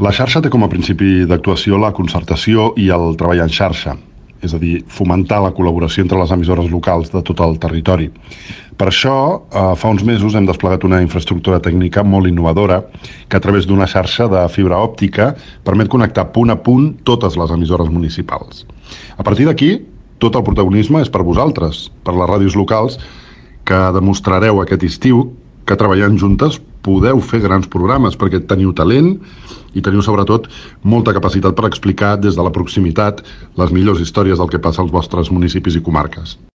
La xarxa té com a principi d'actuació la concertació i el treball en xarxa, és a dir, fomentar la col·laboració entre les emissores locals de tot el territori. Per això, fa uns mesos hem desplegat una infraestructura tècnica molt innovadora que a través d'una xarxa de fibra òptica permet connectar punt a punt totes les emissores municipals. A partir d'aquí, tot el protagonisme és per vosaltres, per les ràdios locals, que demostrareu aquest estiu que treballant juntes podeu fer grans programes perquè teniu talent i teniu sobretot molta capacitat per explicar des de la proximitat les millors històries del que passa als vostres municipis i comarques.